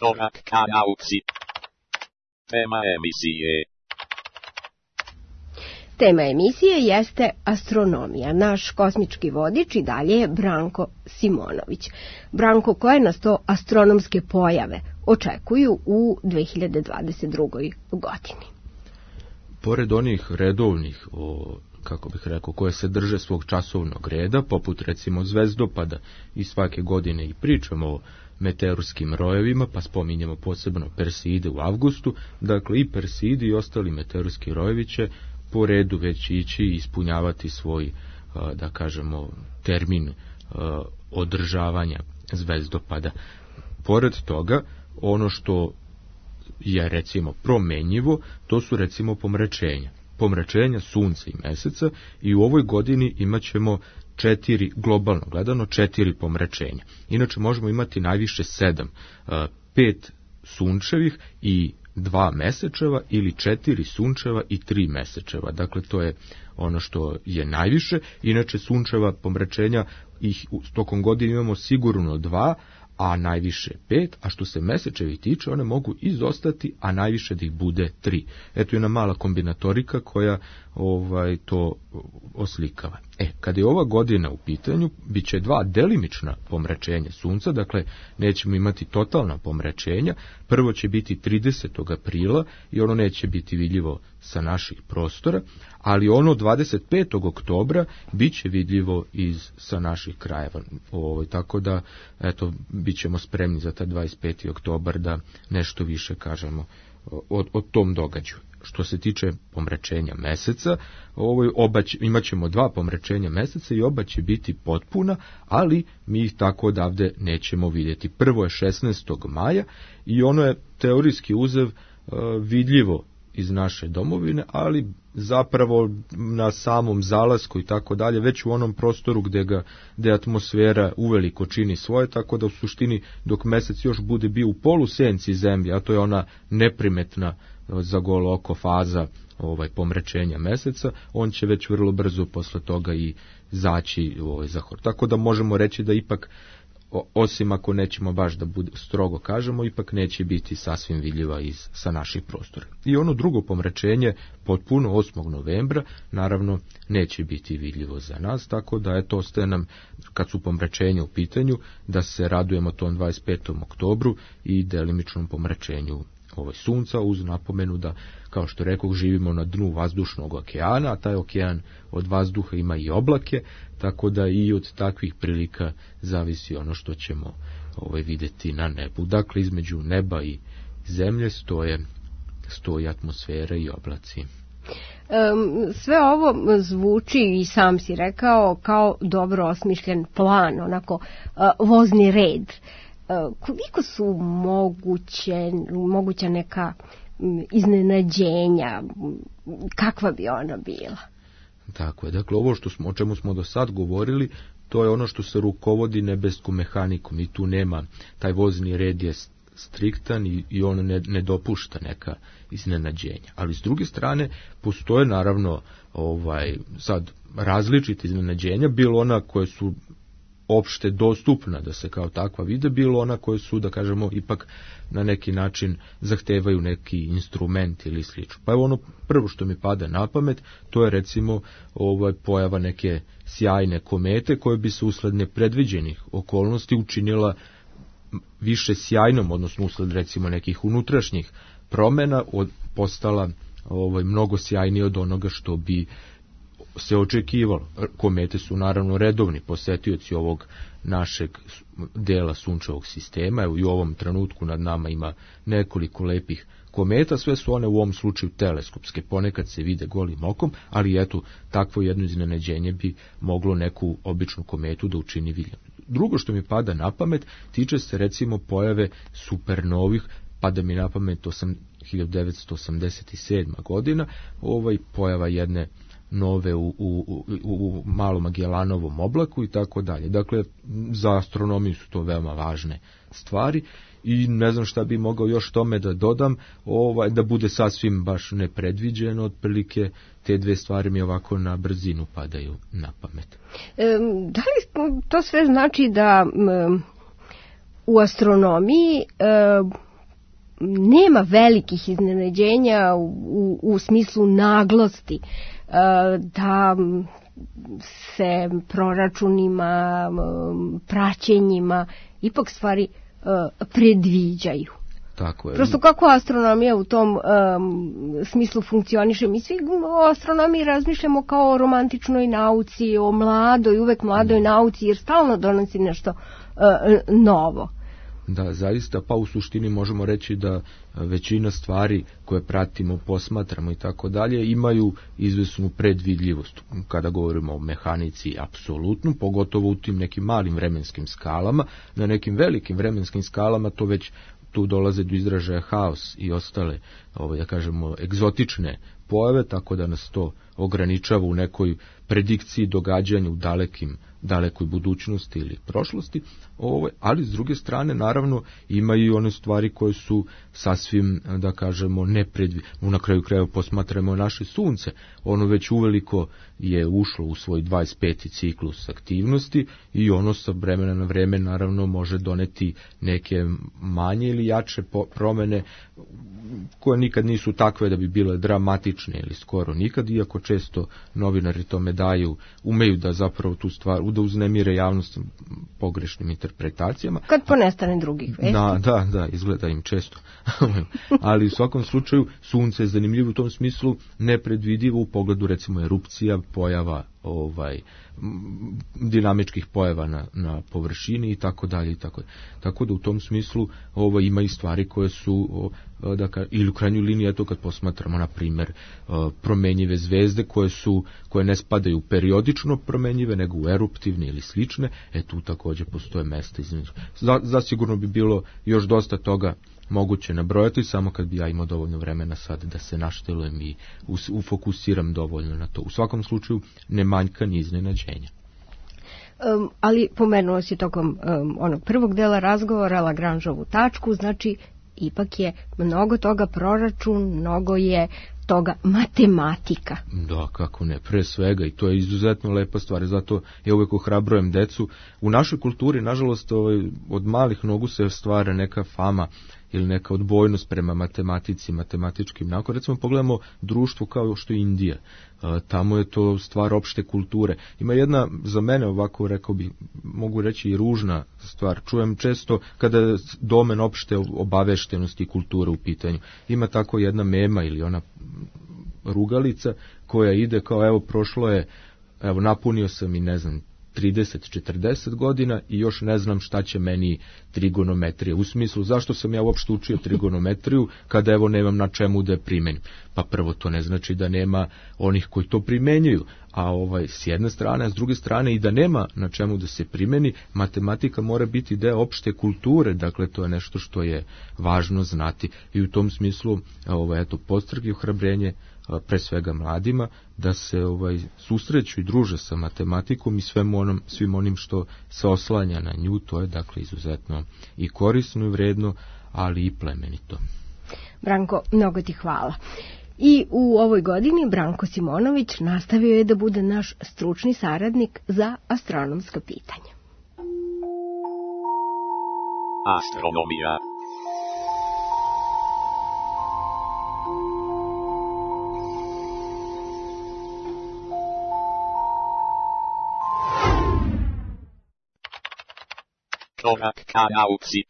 Korak ka nauci. Tema emisije. Tema emisije jeste astronomija. Naš kosmički vodič i dalje je Branko Simonović. Branko, koje nas to astronomske pojave očekuju u 2022. godini? Pored onih redovnih, kako bih rekao, koje se drže svog časovnog reda, poput recimo zvezdopada, i svake godine i pričamo o meteorskim rojevima, pa spominjemo posebno Perseide u avgustu, dakle i Perseidi i ostali meteorski rojevi će po redu već ići i ispunjavati svoj, da kažemo, termin održavanja zvezdopada. Pored toga, ono što je recimo promenjivo, to su recimo pomračenja sunca i meseca, i u ovoj godini imat ćemo 4, globalno gledano 4 pomračenja. Inače možemo imati najviše 7, 5 sunčevih i 2 mesečeva ili 4 sunčeva i 3 mesečeva. Dakle, to je ono što je najviše. Inače, sunčeva pomračenja ih tokom godine imamo sigurno 2, a najviše 5, a što se mesečevi tiče, one mogu izostati, a najviše da ih bude 3. Eto jedna mala kombinatorika koja to oslikava. Kada je ova godina u pitanju, bit će 2 delimična pomračenja sunca, dakle nećemo imati totalna pomračenja. Prvo će biti 30. aprila i ono neće biti vidljivo sa naših prostora, ali ono 25. oktobra bit će vidljivo sa naših krajeva. Tako da, eto, bit ćemo spremni za taj 25. oktobar da nešto više kažemo o tom događaju. Što se tiče pomračenja meseca, imat ćemo 2 pomračenja meseca i oba će biti potpuna, ali mi ih tako odavde nećemo vidjeti. Prvo je 16. maja i ono je teorijski uzev vidljivo iz naše domovine, ali zapravo na samom zalasku i tako dalje, već u onom prostoru gde atmosfera uveliko čini svoje, tako da u suštini dok mesec još bude bio u polusenci zemlje, a to je ona neprimetna za golo oko faza pomračenja meseca, on će već vrlo brzo posle toga i zaći za hor. Tako da možemo reći da ipak, osim ako nećemo baš da bude strogo kažemo, ipak neće biti sasvim vidljiva sa naših prostora. I ono drugo pomračenje, potpuno 8. novembra, naravno neće biti vidljivo za nas, tako da eto ostaje nam, kad su pomračenja u pitanju, da se radujemo tom 25. oktobru i delimičnom pomračenju sunca, uz napomenu da, kao što rekoh, živimo na dnu vazdušnog okeana, a taj okean od vazduha ima i oblake, tako da i od takvih prilika zavisi ono što ćemo vidjeti na nebu. Dakle, između neba i zemlje stoji atmosfera i oblaci. Sve ovo zvuči, i sam si rekao, kao dobro osmišljen plan, onako vozni red. Koliko su moguća neka iznenađenja, kakva bi ona bila? Tako je, dakle ovo o čemu smo do sad govorili, to je ono što se rukovodi nebeskom mehanikom i tu nema, taj vozni red je striktan i on ne dopušta neka iznenađenja. Ali s druge strane postoje naravno sad različite iznenađenja, bilo ona koje su opšte dostupna da se kao takva vide, bilo ona koje su, da kažemo, ipak na neki način zahtevaju neki instrument ili slično. Pa je ono prvo što mi pada na pamet, to je recimo pojava neke sjajne komete koje bi se usled nepredviđenih okolnosti učinila više sjajnom, odnosno usled recimo nekih unutrašnjih promjena postala mnogo sjajnije od onoga što bi se očekivalo. Komete su naravno redovni posetioci ovog našeg dela sunčevog sistema. Evo i u ovom trenutku nad nama ima nekoliko lepih kometa, sve su one u ovom slučaju teleskopske, ponekad se vide golim okom, ali eto, takvo jedno iznenađenje bi moglo neku običnu kometu da učini vidljivom. Drugo što mi pada na pamet tiče se recimo pojave supernovih, pada mi na pamet 1987. godina, pojava jedne nove u malom Magelanovom oblaku i tako dalje. Dakle, za astronomiju su to veoma važne stvari i ne znam šta bi mogao još tome da dodam, da bude sasvim baš nepredviđeno, otprilike te dve stvari mi ovako na brzinu padaju na pamet. Da li to sve znači da u astronomiji nema velikih iznenađenja u smislu naglosti, da se proračunima, praćenjima ipak stvari predviđaju. Tako je. Prosto kako astronomija u tom smislu funkcioniše. Mi svi o astronomiji razmišljamo kao o romantičnoj nauci, o mladoj, uvek mladoj nauci, jer stalno donosi nešto novo. Da, zaista, pa u suštini možemo reći da većina stvari koje pratimo, posmatramo i tako dalje, imaju izvesnu predvidljivost. Kada govorimo o mehanici, apsolutno, pogotovo u tim nekim malim vremenskim skalama. Na nekim velikim vremenskim skalama to već tu dolaze do izražaja haos i ostale, da kažemo, egzotične pojave, tako da nas to ograničava u nekoj predikciji događanja u dalekoj budućnosti ili prošlosti, ali s druge strane naravno imaju i one stvari koje su sasvim, da kažemo, na kraju krajeva posmatramo naše sunce, ono već uveliko je ušlo u svoj 25. ciklus aktivnosti i ono sa vremena na vreme naravno može doneti neke manje ili jače promene koje nikad nisu takve da bi bile dramatične ili skoro nikad, iako često novinari tome umeju da zapravo tu stvar, da uznemire javnost pogrešnim interpretacijama. Kad ponestane drugih vesti. Da, izgleda im često. Ali u svakom slučaju sunce je zanimljivo u tom smislu, nepredvidivo u pogledu recimo erupcija, pojava dinamičkih pojava na površini i tako dalje. Tako da u tom smislu ima i stvari koje su ili u krajnjoj liniji, eto kad posmatramo na primjer promenjive zvezde koje ne spadaju periodično promenjive nego u eruptivne ili slične, tu također postoje mesta između. Zasigurno bi bilo još dosta toga moguće nabrojati, samo kad bi ja imao dovoljno vremena sad da se naštelujem i ufokusiram dovoljno na to. U svakom slučaju ne manjka ni iznenađenja. Ali pomenuo si tokom onog prvog dela razgovora Lagrangeovu tačku, znači ipak je mnogo toga proračun, mnogo je toga matematika. Da, kako ne, pre svega, i to je izuzetno lepa stvar, zato ja uvek ohrabrujem decu. U našoj kulturi, nažalost, od malih nogu se stvara neka fama ili neka odbojnost prema matematici, matematičkim naukama. Recimo pogledamo društvo kao što je Indija. Tamo je to stvar opšte kulture. Ima jedna, za mene ovako rekao bi, mogu reći i ružna stvar. Čujem često kada je domen opšte obaveštenosti i kulture u pitanju. Ima tako jedna mema ili ona rugalica koja ide kao prošlo je, napunio sam i ne znam 30-40 godina i još ne znam šta će meni trigonometrija. U smislu, zašto sam ja uopšte učio trigonometriju kada nemam na čemu da je primenim? Pa prvo, to ne znači da nema onih koji to primenjuju, a s jedne strane, a s druge strane i da nema na čemu da se primeni, matematika mora biti deo opšte kulture, dakle to je nešto što je važno znati i u tom smislu podstrg i ohrabrenje pre svega mladima da se susreću i druže sa matematikom i svim onim što se oslanja na nju. To je dakle izuzetno i korisno i vredno, ali i plemenito. Branko, mnogo ti hvala. I u ovoj godini Branko Simonović nastavio je da bude naš stručni saradnik za astronomska pitanja. Astronomija. Korak ka nauci.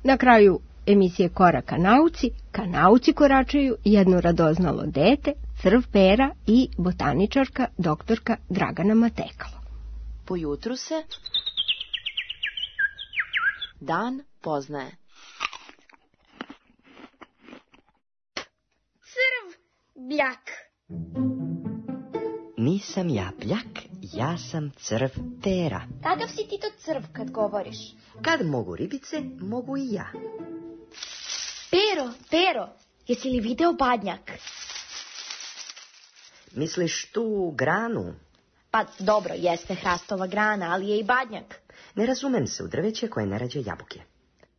Na kraju emisije Korak ka nauci koračaju jedno radoznalo dete, crv Pera i botaničarka doktorka Dragana Matekalo. Po jutru se dan poznaje. Crv bljak. Nisam ja bljak, ja sam crv Tera. Kakav si ti to crv kad govoriš? Kad mogu ribice, mogu i ja. Pero, jesi li video badnjak? Misliš tu granu? Pa dobro, jeste hrastova grana, ali je i badnjak. Ne razumem se u drveće koje ne rađe jabuke.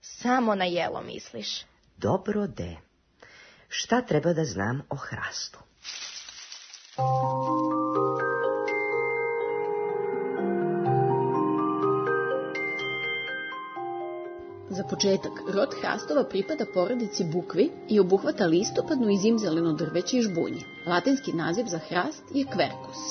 Samo na jelo misliš. Dobro de. Šta treba da znam o hrastu? Za početak, rod hrastova pripada porodici bukvi i obuhvata listopadno i zimzeleno drveće i žbunje. Latinski naziv za hrast je quercus.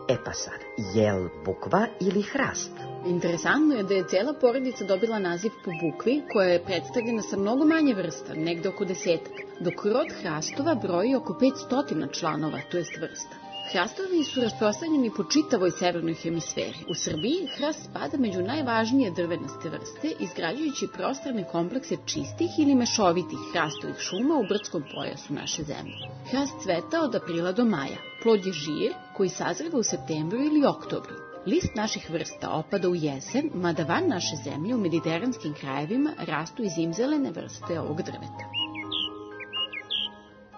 E pa sad, jel bukva ili hrast? Interesantno je da je cela porodica dobila naziv po bukvi, koja je predstavljena sa mnogo manje vrsta, negde oko 10, dok rod hrastova broji oko 500 članova, to jest vrsta. Hrastovi su rasprostranjeni po čitavoj severnoj hemisferi. U Srbiji hrast spada među najvažnije drvenaste vrste, izgrađujući prostrane komplekse čistih ili mešovitih hrastovih šuma u brdskom pojasu naše zemlje. Hrast cveta od aprila do maja. Plod je žir koji sazreva u septembru ili oktobru. List naših vrsta opada u jesen, mada van naše zemlje u mediteranskim krajevima rastu i zimzelene vrste ovog drveta.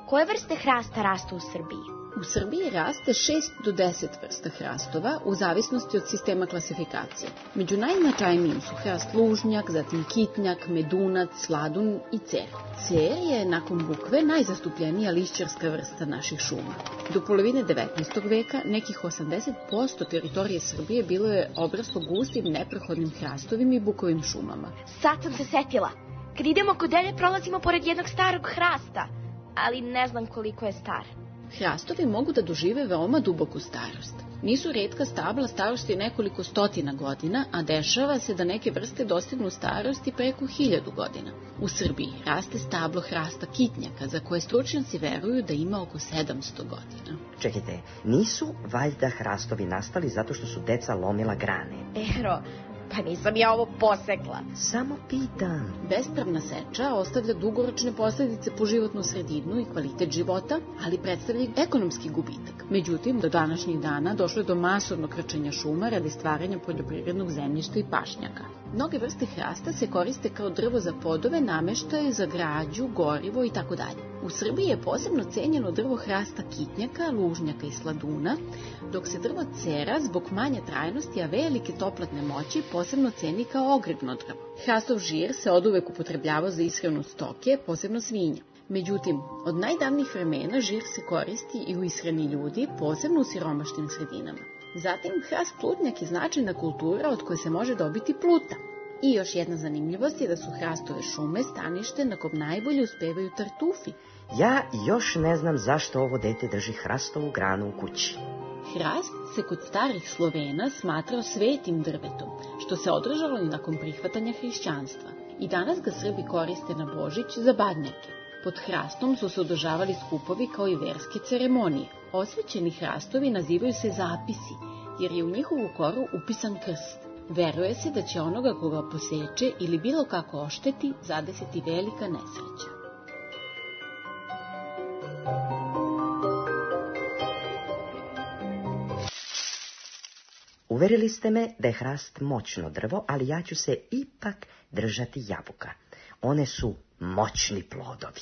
Koje vrste hrasta rastu u Srbiji? U Srbiji raste 6 do 10 vrsta hrastova u zavisnosti od sistema klasifikacije. Među najznačajnijim su hrast lužnjak, zatim kitnjak, medunac, sladun i cer. Cer je nakon bukve najzastupljenija lišćarska vrsta naših šuma. Do polovine 19. veka nekih 80% teritorije Srbije bilo je obrasto gustim neprohodnim hrastovim i bukovim šumama. Sad sam se setila. Kad idemo kod Elje prolazimo pored jednog starog hrasta, ali ne znam koliko je star. Hrastovi mogu da dožive veoma duboku starost. Nisu retka stabla starosti nekoliko stotina godina, a dešava se da neke vrste dostignu starosti preko 1000 godina. U Srbiji raste stablo hrasta kitnjaka, za koje stručnjaci veruju da ima oko 700 godina. Čekajte, nisu valjda hrastovi nastali zato što su deca lomila grane? Ero, pa nisam ja ovo posekla. Samo pitam. Bespravna seča ostavlja dugoročne posledice po životnu sredinu i kvalitet života, ali predstavlja ekonomski gubitak. Međutim, do današnjih dana došlo je do masovnog krčenja šuma radi stvaranja poljoprivrednog zemljišta i pašnjaka. Mnoge vrste hrasta se koriste kao drvo za podove, nameštaje za građu, gorivo itd. U Srbiji je posebno cenjeno drvo hrasta kitnjaka, lužnjaka i sladuna, dok se drvo cera zbog manje trajnosti, a velike toplatne moći posebno ceni kao ogrebno drvo. Hrastov žir se oduvek upotrebljavao za ishranu stoke, posebno svinja. Međutim, od najdavnijih vremena žir se koristi i u ishrani ljudi, posebno u siromašnim sredinama. Zatim, hrast plutnjak je značajna kultura od koje se može dobiti pluta. I još jedna zanimljivost je da su hrastove šume stanište na kom najbolje uspevaju tartufi. Ja još ne znam zašto ovo dete drži hrastovu granu u kući. Hrast se kod starih Slovena smatrao svetim drvetom, što se održalo i nakon prihvatanja hrišćanstva. I danas ga Srbi koriste na Božić za badnjake. Pod hrastom su se održavali skupovi kao i verske ceremonije. Osvećeni hrastovi nazivaju se zapisi, jer je u njihovu koru upisan krst. Veruje se da će onoga koga poseče ili bilo kako ošteti zadesiti velika nesreća. Uverili ste me da je hrast moćno drvo, ali ja ću se ipak držati jabuka. One su moćni plodovi.